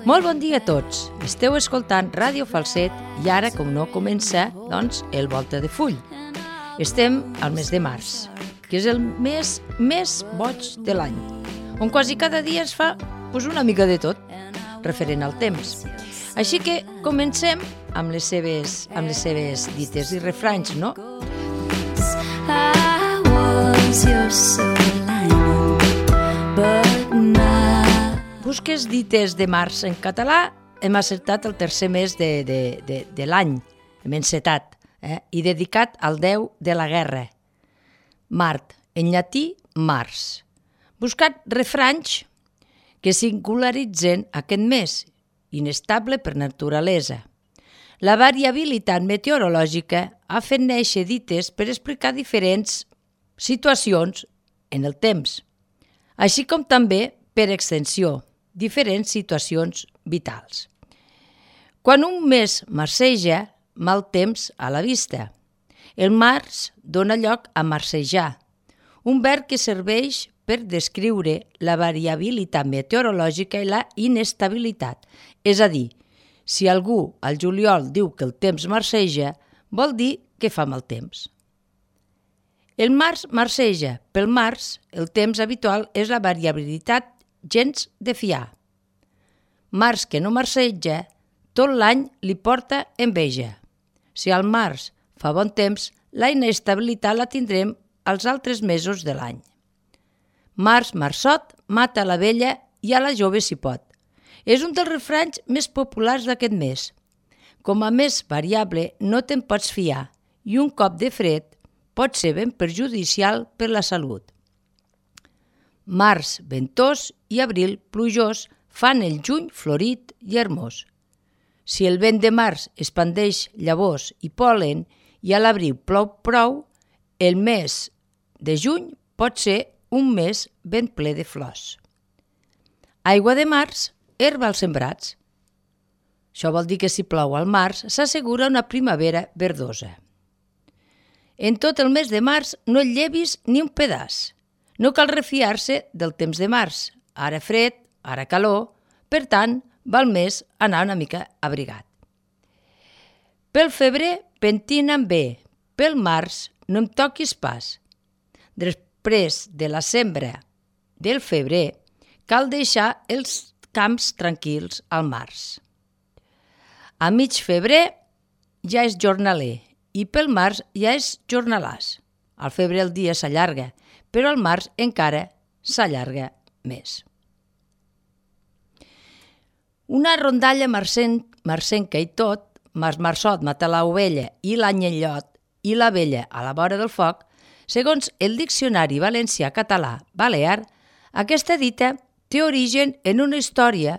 Molt bon dia a tots. Esteu escoltant Ràdio Falset i ara, com no, comença, el Volta de Full. Estem al mes de març, que és el mes més boig de l'any, on quasi cada dia es fa una mica de tot, referent al temps. Així que comencem amb les seves dites i refranys, no? Busques dites de març en català, hem acertat el tercer mes de l'any, hem encetat, i dedicat al déu de la guerra. Mart, en llatí, març. Buscat refranys que singularitzen aquest mes, inestable per naturalesa. La variabilitat meteorològica ha fet néixer dites per explicar diferents situacions en el temps, així com també, per extensió, diferents situacions vitals. Quan un mes marceja, mal temps a la vista. El març dona lloc a marcejar, un verb que serveix per descriure la variabilitat meteorològica i la inestabilitat. És a dir, si algú al juliol diu que el temps marceja, vol dir que fa mal temps. El març marceja. Pel març, el temps habitual és la variabilitat gens de fiar. Març que no marceja, tot l'any li porta enveja. Si al març fa bon temps, la inestabilitat la tindrem als altres mesos de l'any. Març, marçot, mata la vella i a la jove s'hi pot. És un dels refranys més populars d'aquest mes. Com a més variable no te'n pots fiar i un cop de fred pot ser ben perjudicial per la salut. Març ventós i abril plujós fan el juny florit i hermós. Si el vent de març expandeix llavors i pol·len i a l'abril plou prou, el mes de juny pot ser un mes ben ple de flors. Aigua de març, herba als sembrats. Això vol dir que si plou al març s'assegura una primavera verdosa. En tot el mes de març no et llevis ni un pedaç. No cal refiar-se del temps de març, ara fred, ara calor, per tant, val més anar una mica abrigat. Pel febrer, pentina'm bé, pel març no em toquis pas. Després de la sembra del febrer, cal deixar els camps tranquils al març. A mig febrer ja és jornaler i pel març ja és jornalàs. Al febrer el dia s'allarga, però al març encara s'allarga més. Una rondalla marcenca i tot, marçot mata l'ovella i l'anyellot i la vella a la vora del foc, segons el Diccionari Valencià-Català-Balear, aquesta dita té origen en una història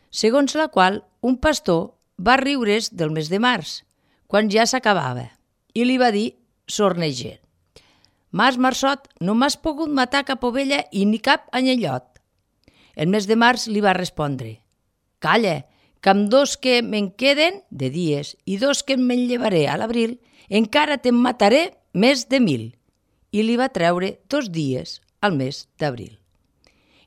segons la qual un pastor va riure's del mes de març, quan ja s'acabava, i li va dir, sornegent: marçot, no m'has pogut matar cap ovella i ni cap anyellot. El mes de març li va respondre: calla, que amb 2 que me'n queden de dies i 2 que me'n llevaré a l'abril, encara te'n mataré més de 1000. I li va treure 2 dies al mes d'abril.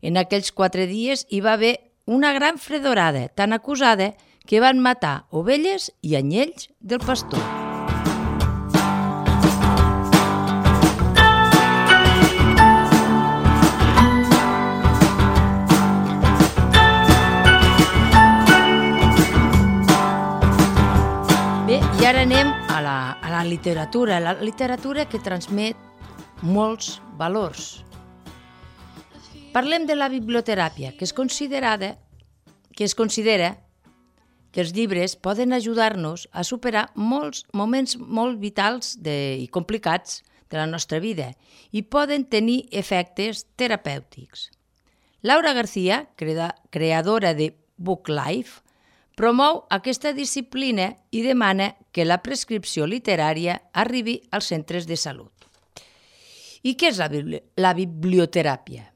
En aquells 4 dies hi va haver una gran fredorada tan acusada que van matar ovelles i anyells del pastor. I ara anem a la literatura que transmet molts valors. Parlem de la biblioteràpia, que es considera que els llibres poden ajudar-nos a superar molts moments molt vitals i complicats de la nostra vida i poden tenir efectes terapèutics. Laura García, creadora de BookLife, promou aquesta disciplina i demana que la prescripció literària arribi als centres de salut. I què és la biblioteràpia?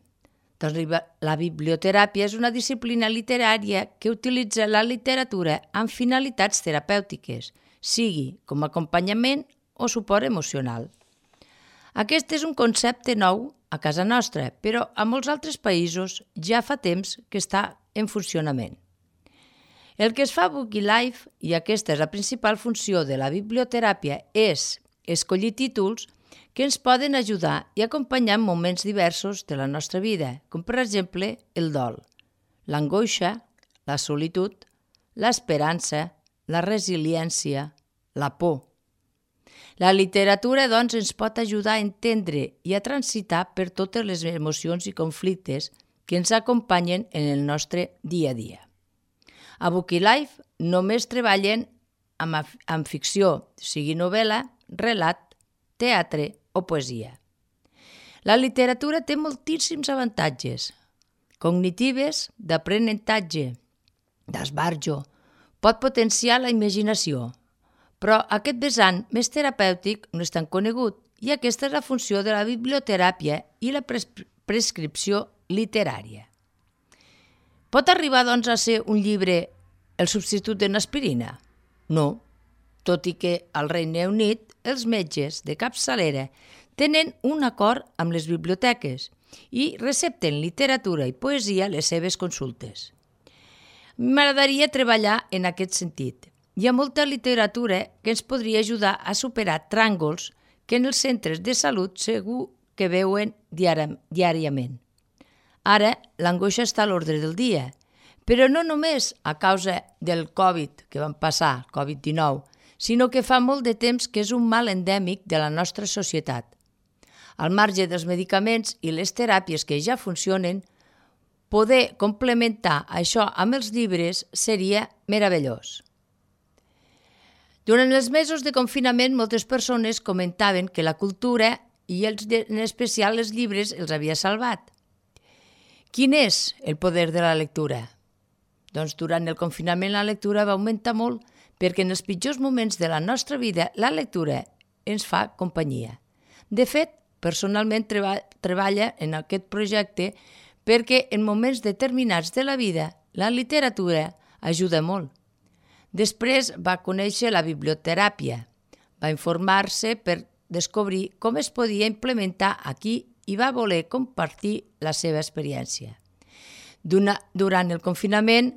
Doncs la biblioteràpia és una disciplina literària que utilitza la literatura amb finalitats terapèutiques, sigui com a acompanyament o suport emocional. Aquest és un concepte nou a casa nostra, però a molts altres països ja fa temps que està en funcionament. El que es fa a Bookilife, i aquesta és la principal funció de la biblioteràpia, és escollir títols que ens poden ajudar i acompanyar en moments diversos de la nostra vida, com per exemple el dol, l'angoixa, la solitud, l'esperança, la resiliència, la por. La literatura, doncs, ens pot ajudar a entendre i a transitar per totes les emocions i conflictes que ens acompanyen en el nostre dia a dia. A Bookilife només treballen amb ficció, sigui novel·la, relat, teatre o poesia. La literatura té moltíssims avantatges cognitives, d'aprenentatge, d'esbarjo, pot potenciar la imaginació, però aquest vessant més terapèutic no és tan conegut i aquesta és la funció de la biblioteràpia i la prescripció literària. Pot arribar, doncs, a ser un llibre el substitut d'una aspirina? No, tot i que al Regne Unit els metges de capçalera tenen un acord amb les biblioteques i recepten literatura i poesia a les seves consultes. M'agradaria treballar en aquest sentit. Hi ha molta literatura que ens podria ajudar a superar tràngols que en els centres de salut segur que veuen diàriament. Ara, l'angoixa està a l'ordre del dia, però no només a causa del Covid que vam passar, Covid-19, sinó que fa molt de temps que és un mal endèmic de la nostra societat. Al marge dels medicaments i les teràpies que ja funcionen, poder complementar això amb els llibres seria meravellós. Durant els mesos de confinament, moltes persones comentaven que la cultura, i en especial els llibres, els havia salvat. Quin és el poder de la lectura? Doncs durant el confinament la lectura va augmentar molt perquè en els pitjors moments de la nostra vida la lectura ens fa companyia. De fet, personalment treballa en aquest projecte perquè en moments determinats de la vida la literatura ajuda molt. Després va conèixer la biblioteràpia, va informar-se per descobrir com es podia implementar aquí i va voler compartir la seva experiència. Durant el confinament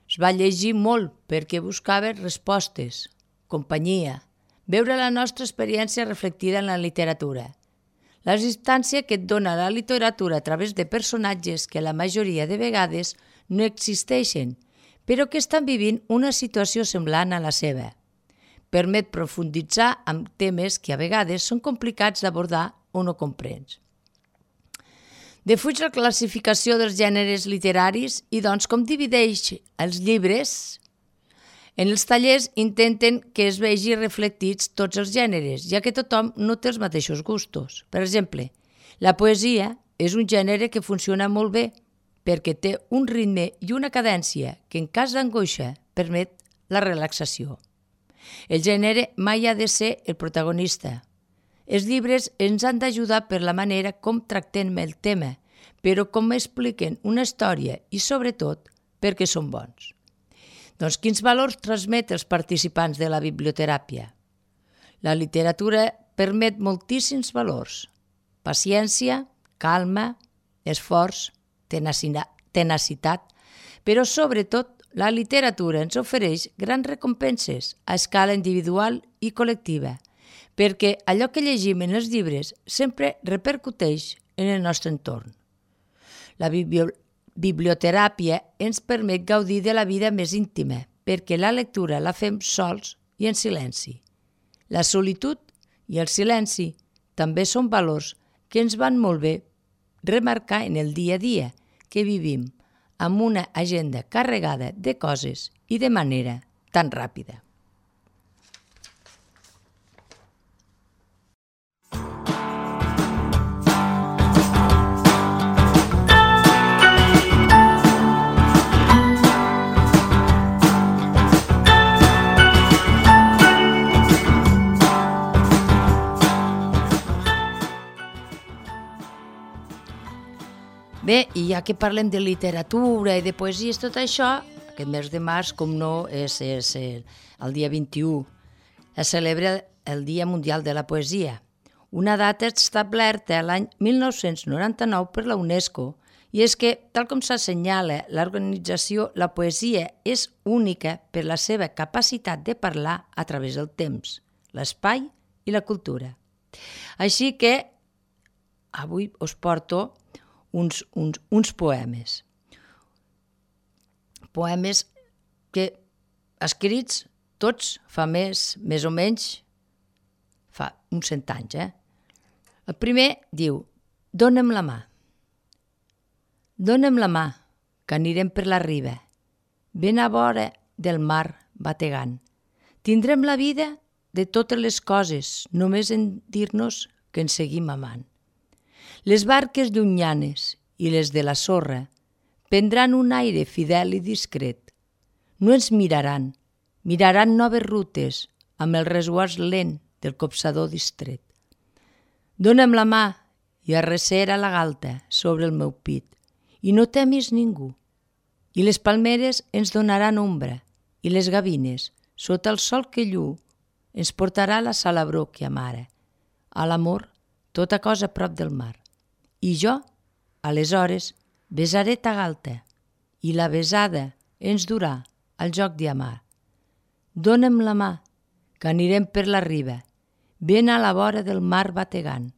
es va llegir molt perquè buscava respostes, companyia, veure la nostra experiència reflectida en la literatura. La distància que et dona la literatura a través de personatges que la majoria de vegades no existeixen, però que estan vivint una situació semblant a la seva. Permet profunditzar en temes que a vegades són complicats d'abordar o no comprens. Defuig la classificació dels gèneres literaris i, doncs, com divideix els llibres? En els tallers intenten que es vegi reflectits tots els gèneres, ja que tothom no té els mateixos gustos. Per exemple, la poesia és un gènere que funciona molt bé perquè té un ritme i una cadència que en cas d'angoixa permet la relaxació. El gènere mai ha de ser el protagonista. Els llibres ens han d'ajudar per la manera com tractem el tema, però com expliquen una història i, sobretot, perquè són bons. Doncs quins valors transmet els participants de la biblioteràpia? La literatura permet moltíssims valors: paciència, calma, esforç, tenacitat, però sobretot la literatura ens ofereix grans recompenses a escala individual i col·lectiva, perquè allò que llegim en els llibres sempre repercuteix en el nostre entorn. La biblioteràpia ens permet gaudir de la vida més íntima, perquè la lectura la fem sols i en silenci. La solitud i el silenci també són valors que ens van molt bé remarcar en el dia a dia que vivim amb una agenda carregada de coses i de manera tan ràpida. Bé, i ja que parlem de literatura i de poesies, tot això, aquest mes de març, com no, és el dia 21. Es celebra el Dia Mundial de la Poesia, una data establerta l'any 1999 per la UNESCO I és que, tal com s'assenyala l'organització, la poesia és única per la seva capacitat de parlar a través del temps, l'espai i la cultura. Així que avui us porto uns poemes. Poemes que escrits tots fa més o menys, fa uns 100 anys. El primer diu: Dóna'm la mà. Dóna'm la mà, que anirem per la riba, ben a vora del mar bategant. Tindrem la vida de totes les coses, només en dir-nos que ens seguim amant. Les barques llunyanes i les de la sorra prendran un aire fidel i discret. No ens miraran noves rutes amb el resguard lent del copsador distret. Dóna'm la mà i arrecera la galta sobre el meu pit i no temis ningú. I les palmeres ens donaran ombra i les gavines, sota el sol que lluu, ens portarà la salabror que amara. A l'amor, tota cosa a prop del mar. I jo, aleshores, besaré ta galta i la besada ens durà al joc d'amar. Dóna'm la mà, que anirem per la riba, ben a la vora del mar bategant.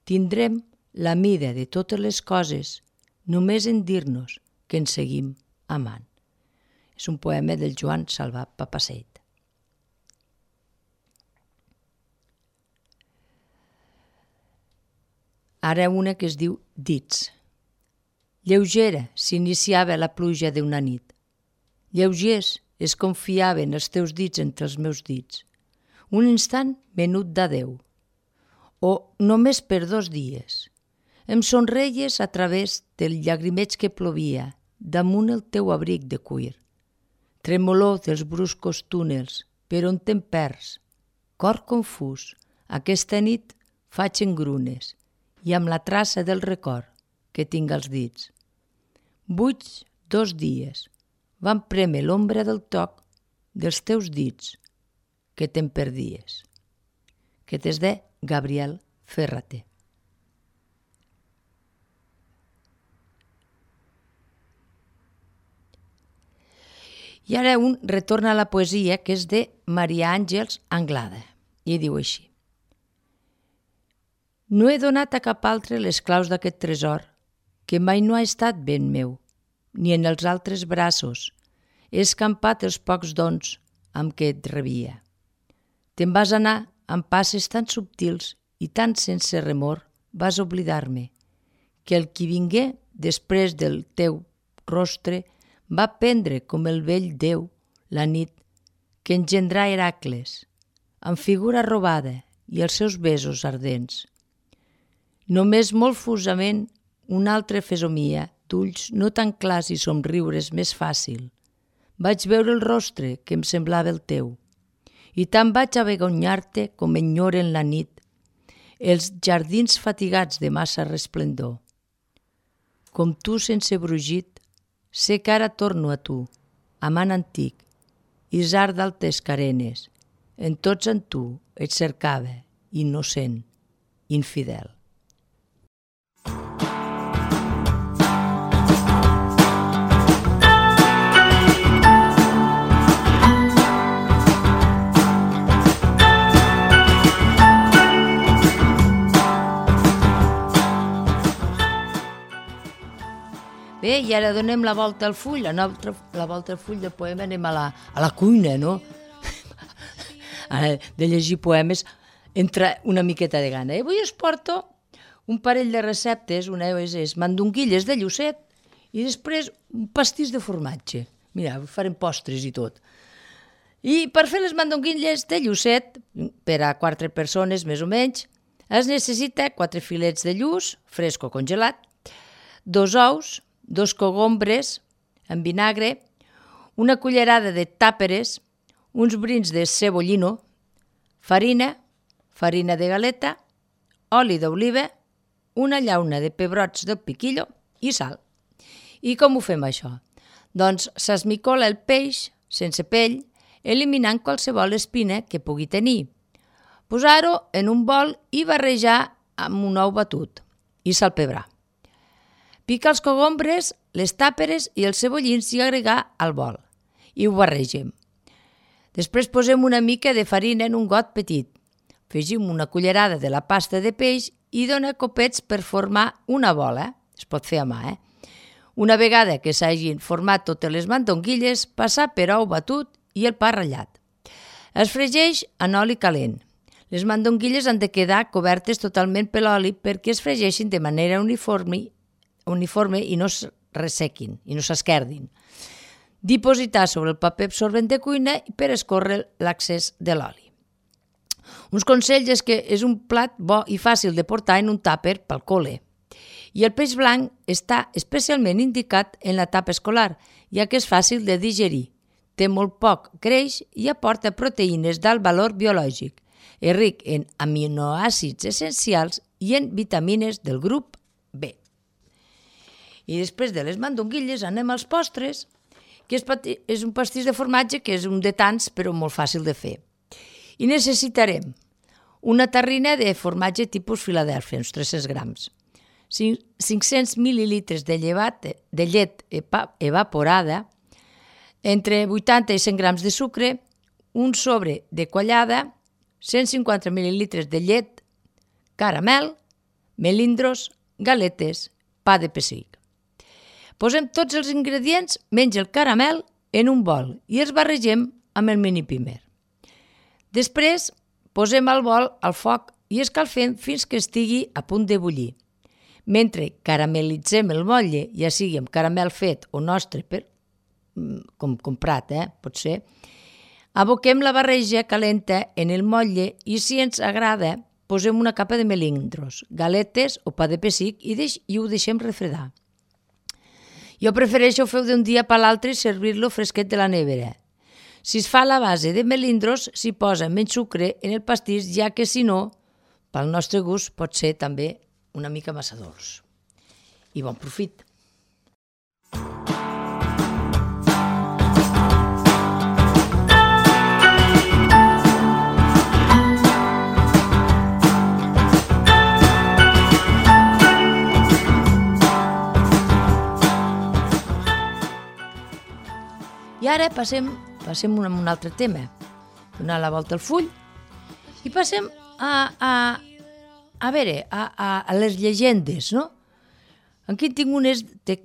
Tindrem la mida de totes les coses, només en dir-nos que ens seguim amant. És un poema del Joan Salvà Papaseit. Ara una que es diu Dits. Lleugera s'iniciava la pluja d'una nit. Lleugers es confiaven els teus dits entre els meus dits. Un instant menut d'adeu. O només per 2 dies. Em somreies a través del llagrimeig que plovia damunt el teu abric de cuir. Tremolor dels bruscos túnels, per on te'n perds. Cor confús, aquesta nit faig engrunes i amb la traça del record que tinc als dits. Buits 2 dies, van prémer l'ombra del toc dels teus dits que te'n perdies. Que és de Gabriel Ferrater. I ara un retorna a la poesia que és de Maria Àngels Anglada i diu així: No he donat a cap altre les claus d'aquest tresor, que mai no ha estat ben meu, ni en els altres braços he escampat els pocs dons amb què et rebia. Te'n vas anar amb passes tan subtils i tan sense remor vas oblidar-me, que el qui vingué després del teu rostre va prendre com el vell Déu la nit que engendrà Heracles, amb figura robada i els seus besos ardents. Només molt fusament una altra fesomia d'ulls no tan clars i somriures més fàcil. Vaig veure el rostre que em semblava el teu, i tant vaig avergonyar-te com enyoren la nit els jardins fatigats de massa resplendor. Com tu sense brugit, sé que ara torno a tu, amant antic, isard d'altes carenes, en tots en tu et cercava, innocent, infidel. Bé, i ara donem la volta al full, la volta al full del poema, anem a la cuina, no? De llegir poemes entra una miqueta de gana. Avui us porto un parell de receptes, una és mandonguilles de llucet i després un pastís de formatge. Mira, farem postres i tot. I per fer les mandonguilles de llucet, per a 4 persones més o menys, es necessita 4 filets de lluç, fresc o congelat, 2 ous, 2 cogombres amb vinagre, una cullerada de tàperes, uns brins de cebollino, farina de galeta, oli d'oliva, una llauna de pebrots del piquillo i sal. I com ho fem això? Doncs s'esmicola el peix sense pell, eliminant qualsevol espina que pugui tenir. Posar-ho en un bol i barrejar amb un ou batut i salpebrar. Pica els cogombres, les tàperes i els cebollins i agregar al bol. I ho barregem. Després posem una mica de farina en un got petit. Afegim una cullerada de la pasta de peix i dona copets per formar una bola. Es pot fer a mà, Una vegada que s'hagin format totes les mandonguilles, passar per ou batut i el pa ratllat. Es fregeix en oli calent. Les mandonguilles han de quedar cobertes totalment per l'oli perquè es fregeixin de manera uniforme i no es ressequin i no s'esquerdin. Dipositar sobre el paper absorbent de cuina per escórrer l'accés de l'oli. Uns consells és que és un plat bo i fàcil de portar en un tàper pel col·le. I el peix blanc està especialment indicat en l'etapa escolar, ja que és fàcil de digerir, té molt poc greix i aporta proteïnes d'alt valor biològic. És ric en aminoàcids essencials i en vitamines del grup B. I després de les mandonguilles anem als postres, que és un pastís de formatge que és un de tants però molt fàcil de fer. I necessitarem una terrina de formatge tipus Filadèlfia, uns 300 grams, 500 mil·lilitres de llet evaporada, entre 80 i 100 grams de sucre, un sobre de quallada, 150 mil·lilitres de llet, caramel, melindros, galetes, pa de pessic. Posem tots els ingredients menys el caramel en un bol i els barregem amb el mini pimer. Després posem el bol al foc i escalfem fins que estigui a punt de bullir. Mentre caramelitzem el motlle, ja sigui amb caramel fet o nostre, com comprat, pot ser, aboquem la barreja calenta en el motlle i, si ens agrada, posem una capa de melindros, galetes o pa de pessic i ho deixem refredar. Jo prefereixo fer-ho d'un dia per l'altre i servir-lo fresquet de la nevera. Si es fa a la base de melindros, s'hi posa menys sucre en el pastís, ja que si no, pel nostre gust pot ser també una mica massa dolç. I bon profit! I ara passem a un altre tema. Donar la volta al full i passem a les llegendes, no? Aquí tinc unes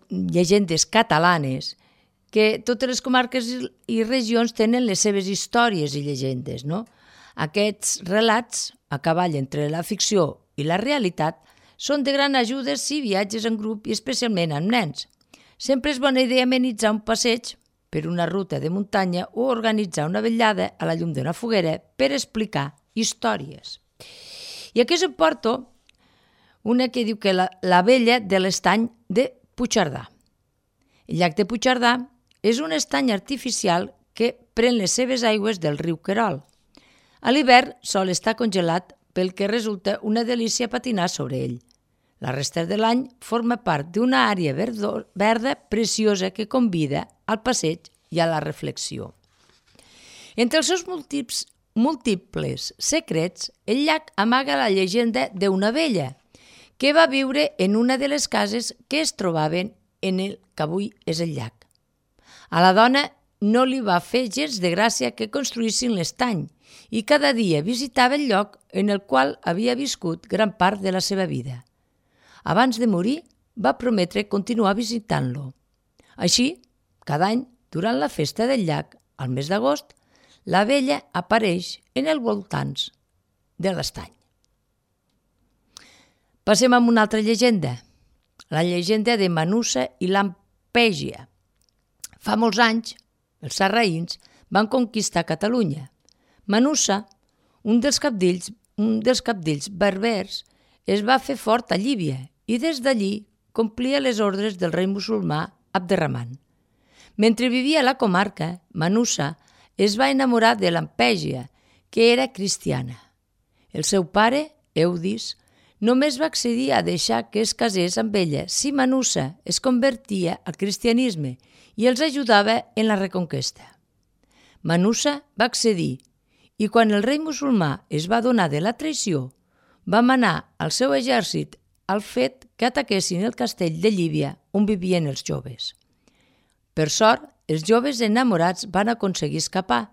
llegendes catalanes que totes les comarques i regions tenen les seves històries i llegendes, no? Aquests relats, a cavall entre la ficció i la realitat, són de gran ajuda si viatges en grup i especialment amb nens. Sempre és bona idea amenitzar un passeig per una ruta de muntanya o organitzar una vetllada a la llum d'una foguera per explicar històries. I aquí us porto una que diu que la vella de l'estany de Puigcerdà. El llac de Puigcerdà és un estany artificial que pren les seves aigües del riu Querol. A l'hivern sol estar congelat, pel que resulta una delícia patinar sobre ell. La resta de l'any forma part d'una àrea verda preciosa que convida al passeig i a la reflexió. Entre els seus múltiples secrets, el llac amaga la llegenda d'una vella que va viure en una de les cases que es trobaven en el que avui és el llac. A la dona no li va fer gens de gràcia que construïssin l'estany i cada dia visitava el lloc en el qual havia viscut gran part de la seva vida. Abans de morir, va prometre continuar visitant-lo. Així, cada any, durant la festa del llac, al mes d'agost, la vella apareix en els voltants de l'estany. Passem a una altra llegenda, la llegenda de Manussa i Lampègia. Fa molts anys, els sarraïns van conquistar Catalunya. Manussa, un dels cabdills berbers, es va fer fort a Llívia i des d'allí complia les ordres del rei musulmà Abderramant. Mentre vivia a la comarca, Manussa es va enamorar de Lampègia, que era cristiana. El seu pare, Eudis, només va accedir a deixar que es casés amb ella si Manussa es convertia al cristianisme i els ajudava en la reconquesta. Manussa va accedir i quan el rei musulmà es va adonar de la traïció, va manar al seu exèrcit al fet que ataquessin el castell de Llívia on vivien els joves. Per sort, els joves enamorats van aconseguir escapar,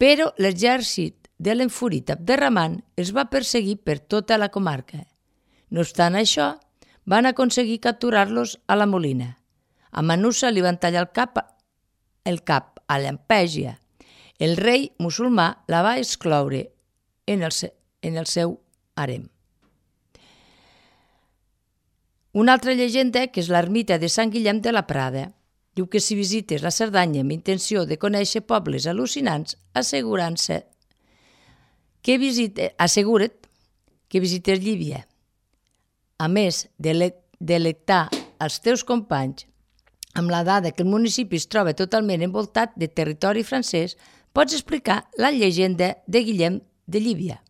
però l'exèrcit de l'enfurit Abderramant els va perseguir per tota la comarca. No obstant això, van aconseguir capturar-los a la Molina. A Manussa li van tallar el cap a Llampègia. El rei musulmà la va excloure en el seu harem. Una altra llegenda, que és l'ermita de Sant Guillem de la Prada, diu que si visites la Cerdanya amb intenció de conèixer pobles al·lucinants, assegura't que visites Llívia. A més de delectar els teus companys amb la dada que el municipi es troba totalment envoltat de territori francès, pots explicar la llegenda de Guillem de Llívia.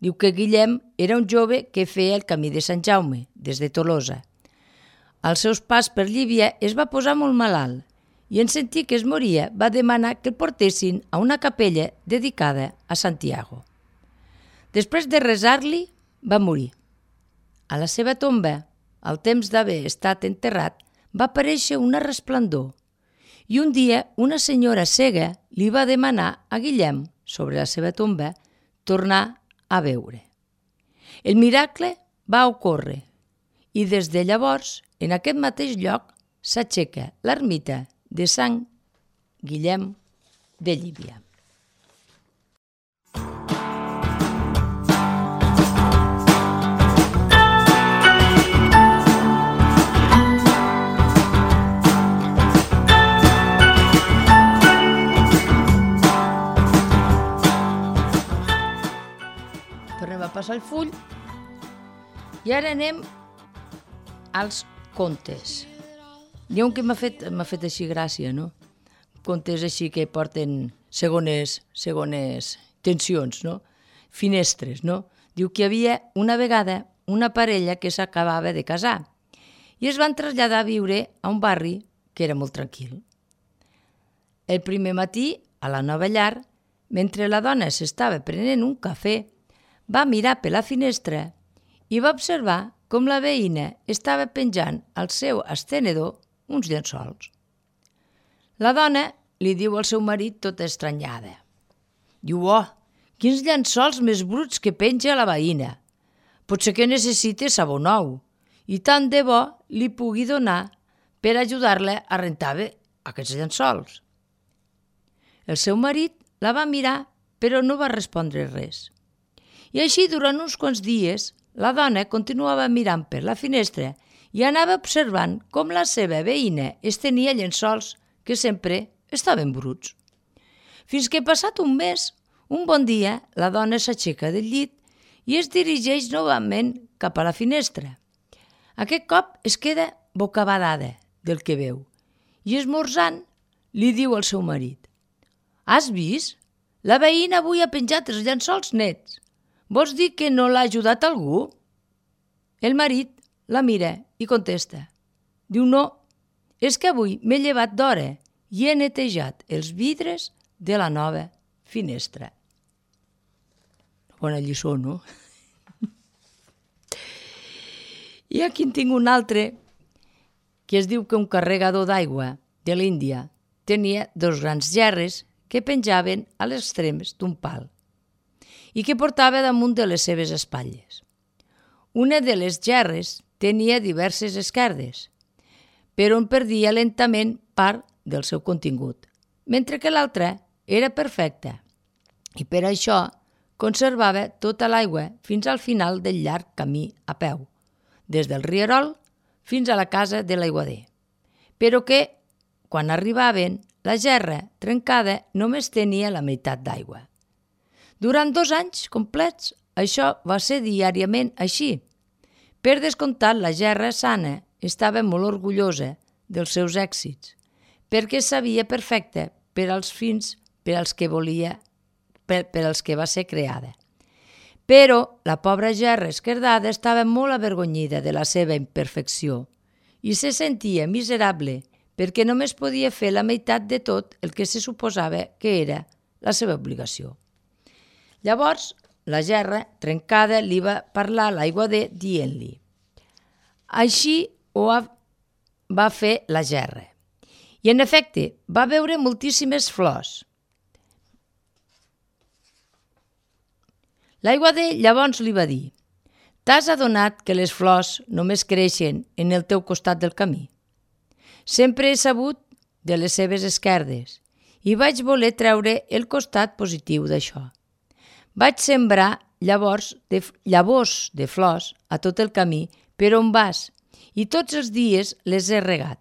Diu que Guillem era un jove que feia el camí de Sant Jaume, des de Tolosa. Als seus pas per Llívia es va posar molt malalt i en sentir que es moria va demanar que el portessin a una capella dedicada a Santiago. Després de resar-li, va morir. A la seva tomba, al temps d'haver estat enterrat, va aparèixer una resplendor i un dia una senyora cega li va demanar a Guillem, sobre la seva tomba, tornar a veure. El miracle va ocórrer i des de llavors, en aquest mateix lloc, s'aixeca l'ermita de Sant Guillem de Llívia. Tornem a passar el full i ara anem als contes. N'hi ha un que m'ha fet així gràcia, no? Contes així que porten segones tensions, no? Finestres, no? Diu que hi havia una vegada una parella que s'acabava de casar i es van traslladar a viure a un barri que era molt tranquil. El primer matí, a la nova llar, mentre la dona s'estava prenent un cafè, va mirar per la finestra i va observar com la veïna estava penjant al seu estenedor uns llençols. La dona li diu al seu marit tota estranyada. Diu, oh, quins llençols més bruts que penja la veïna. Potser que necessite sabó nou i tant de bo li pugui donar per ajudar-la a rentar bé aquests llençols. El seu marit la va mirar però no va respondre res. I així, durant uns quants dies, la dona continuava mirant per la finestra i anava observant com la seva veïna estenia llençols que sempre estaven bruts. Fins que, passat un mes, un bon dia, la dona s'aixeca del llit i es dirigeix novament cap a la finestra. Aquest cop es queda bocabadada del que veu i, esmorzant, li diu al seu marit: «Has vist? La veïna avui ha penjat els llençols nets. Vols dir que no l'ha ajudat algú?» El marit la mira i contesta. Diu, no, és que avui m'he llevat d'hora i he netejat els vidres de la nova finestra. Bona lliçó, no? I aquí en tinc un altre que es diu que un carregador d'aigua de l'Índia tenia dos grans gerres que penjaven a les extrems d'un pal i que portava damunt de les seves espatlles. Una de les gerres tenia diverses esquerdes, però en perdia lentament part del seu contingut, mentre que l'altra era perfecta i per això conservava tota l'aigua fins al final del llarg camí a peu, des del rierol fins a la casa de l'aiguader, però que, quan arribaven, la gerra trencada només tenia la meitat d'aigua. Durant 2 anys complets, això va ser diàriament així. Per descomptat, la gerra sana estava molt orgullosa dels seus èxits, perquè sabia perfecte per als fins per als que va ser creada. Però la pobra gerra esquerdada estava molt avergonyida de la seva imperfecció i se sentia miserable perquè només podia fer la meitat de tot el que se suposava que era la seva obligació. Llavors, la gerra trencada li va parlar a l'aiguader dient-li: Així va fer la gerra. I en efecte, va veure moltíssimes flors. L'aiguader llavors li va dir: «T'has adonat que les flors només creixen en el teu costat del camí? Sempre he sabut de les seves esquerdes i vaig voler treure el costat positiu d'això. Vaig sembrar llavors llavors de flors a tot el camí per on vas i tots els dies les he regat.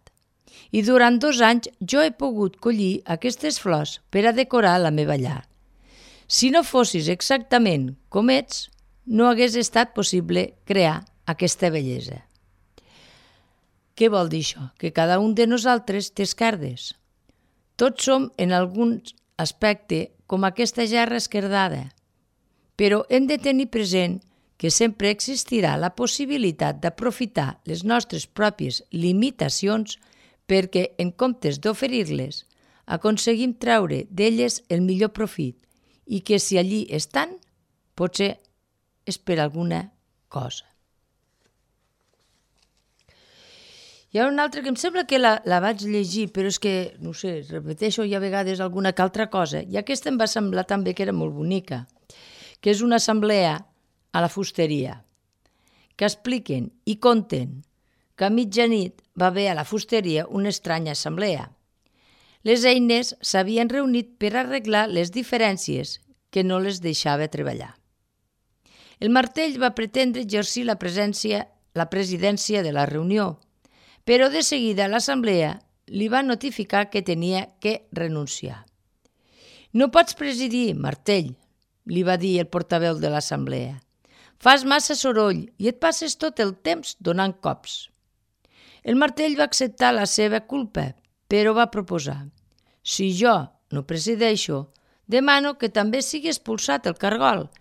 I durant 2 anys jo he pogut collir aquestes flors per a decorar la meva llar. Si no fossis exactament com ets, no hagués estat possible crear aquesta bellesa». Què vol dir això? Que cada un de nosaltres té esquerdes. Tots som en algun aspecte com aquesta gerra esquerdada, però hem de tenir present que sempre existirà la possibilitat d'aprofitar les nostres pròpies limitacions perquè, en comptes d'oferir-les, aconseguim treure d'elles el millor profit i que si allí estan, potser és per alguna cosa. Hi ha una altra que em sembla que la vaig llegir, però és que, no sé, repeteixo ja a vegades alguna que altra cosa, i aquesta em va semblar també que era molt bonica, que és una assemblea a la fusteria, que expliquen i conten que a mitjanit va haver a la fusteria una estranya assemblea. Les eines s'havien reunit per arreglar les diferències que no les deixava treballar. El martell va pretendre exercir la presidència de la reunió, però de seguida l'assemblea li va notificar que tenia que renunciar. «No pots presidir, martell», li va dir el portaveu de l'assemblea. «Fas massa soroll i et passes tot el temps donant cops». El martell va acceptar la seva culpa, però va proposar: «Si jo no presideixo, demano que també sigui expulsat el cargol,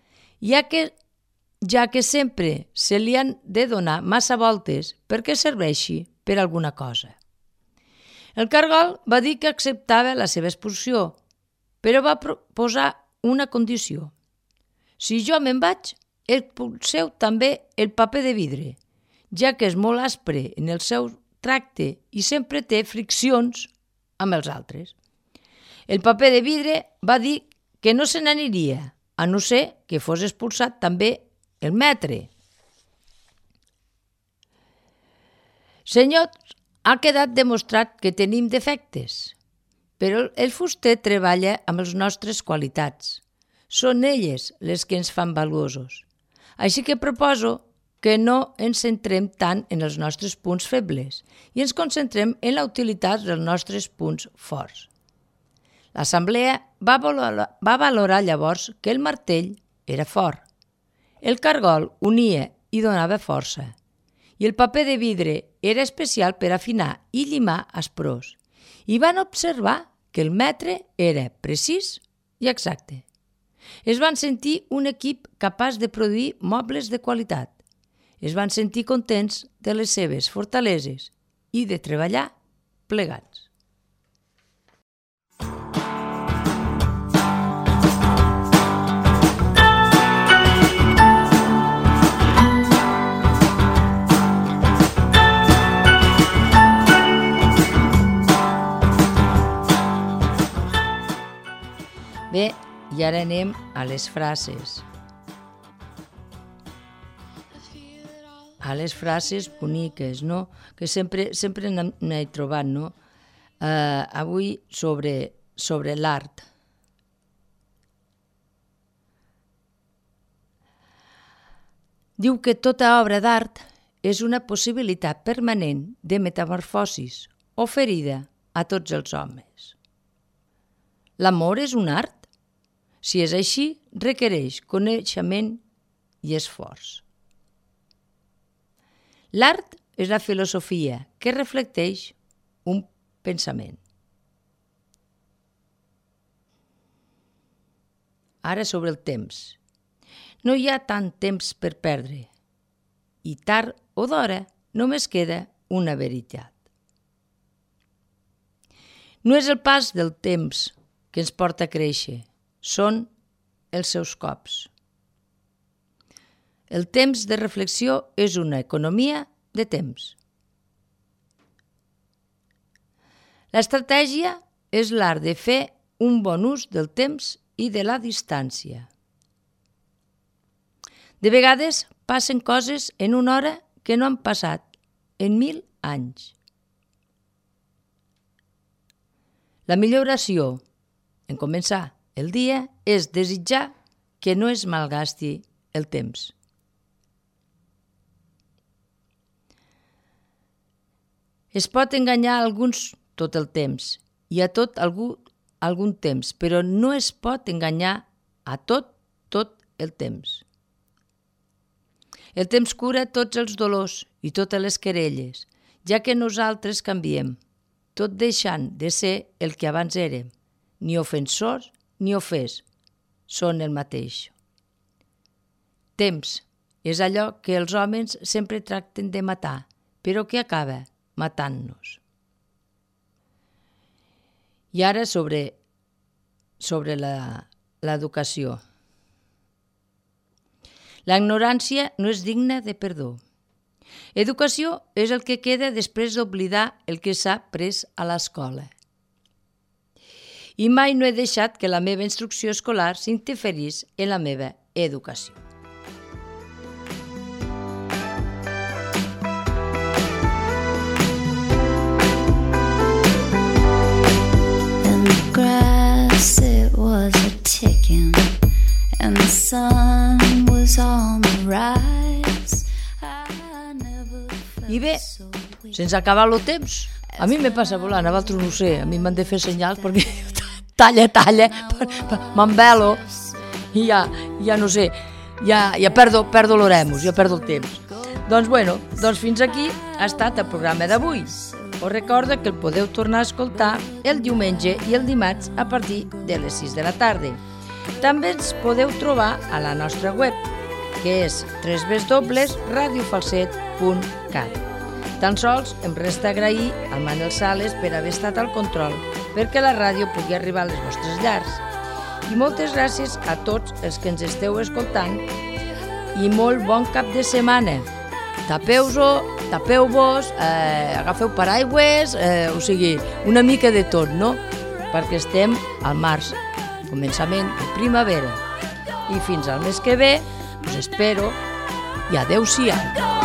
ja que sempre se li han de donar massa voltes perquè serveixi per alguna cosa». El cargol va dir que acceptava la seva expulsió, però va proposar una condició: «Si jo me'n vaig, expulseu també el paper de vidre, ja que és molt aspre en el seu tracte i sempre té friccions amb els altres». El paper de vidre va dir que no se n'aniria, a no ser que fos expulsat també el metre. «Senyors, ha quedat demostrat que tenim defectes, però el fuster treballa amb les nostres qualitats. Són elles les que ens fan valuosos. Així que proposo que no ens centrem tant en els nostres punts febles i ens concentrem en la utilitat dels nostres punts forts». L'assemblea va valorar llavors que el martell era fort, el cargol unia i donava força, i el paper de vidre era especial per afinar i llimar asprors, i van observar que el metre era precís i exacte. Es van sentir un equip capaç de produir mobles de qualitat. Es van sentir contents de les seves fortaleses i de treballar plegats. Bé, i ara anem a les frases. A les frases boniques, no? Que sempre n'he trobat, no? Avui sobre l'art. Diu que tota obra d'art és una possibilitat permanent de metamorfosis oferida a tots els homes. L'amor és un art? Si és així, requereix coneixement i esforç. L'art és la filosofia que reflecteix un pensament. Ara sobre el temps. No hi ha tant temps per perdre i tard o d'hora només queda una veritat. No és el pas del temps que ens porta a créixer, són els seus cops. El temps de reflexió és una economia de temps. L'estratègia és l'art de fer un bon ús del temps i de la distància. De vegades passen coses en una hora que no han passat en 1000 anys. La millor oració en començar el dia és desitjar que no es malgasti el temps. Es pot enganyar a alguns tot el temps i a tot algun temps, però no es pot enganyar a tot el temps. El temps cura tots els dolors i totes les querelles, ja que nosaltres canviem, tot deixant de ser el que abans érem. Ni ofensors ni ofès són el mateix. Temps és allò que els homes sempre tracten de matar, però que acaba matant-nos. I ara sobre l'educació. La ignorància no és digna de perdó. Educació és el que queda després d'oblidar el que s'ha après a l'escola. I mai no he deixat que la meva instrucció escolar s'interferís en la meva educació. It was a ticking and the sun was on the rise. I bé, sense acabar el temps, a mi me passa volant, a vosaltres no ho sé, a mi m'han de fer senyals perquè talla, m'envelo i ja no sé, ja perdo l'oremus, ja perdo el temps. Doncs fins aquí ha estat el programa d'avui. Us recordo que el podeu tornar a escoltar el diumenge i el dimarts a partir de les 6 de la tarda. També ens podeu trobar a la nostra web, que és www.radiofalset.cat. Tan sols em resta agrair al Manel Sales per haver estat al control, perquè la ràdio pugui arribar a les vostres llars. I moltes gràcies a tots els que ens esteu escoltant i molt bon cap de setmana. Tapeu-vos, agafeu paraigües, o sigui, una mica de tot, no? Perquè estem al març, començament de primavera. I fins al mes que ve, us espero i adeu-siau.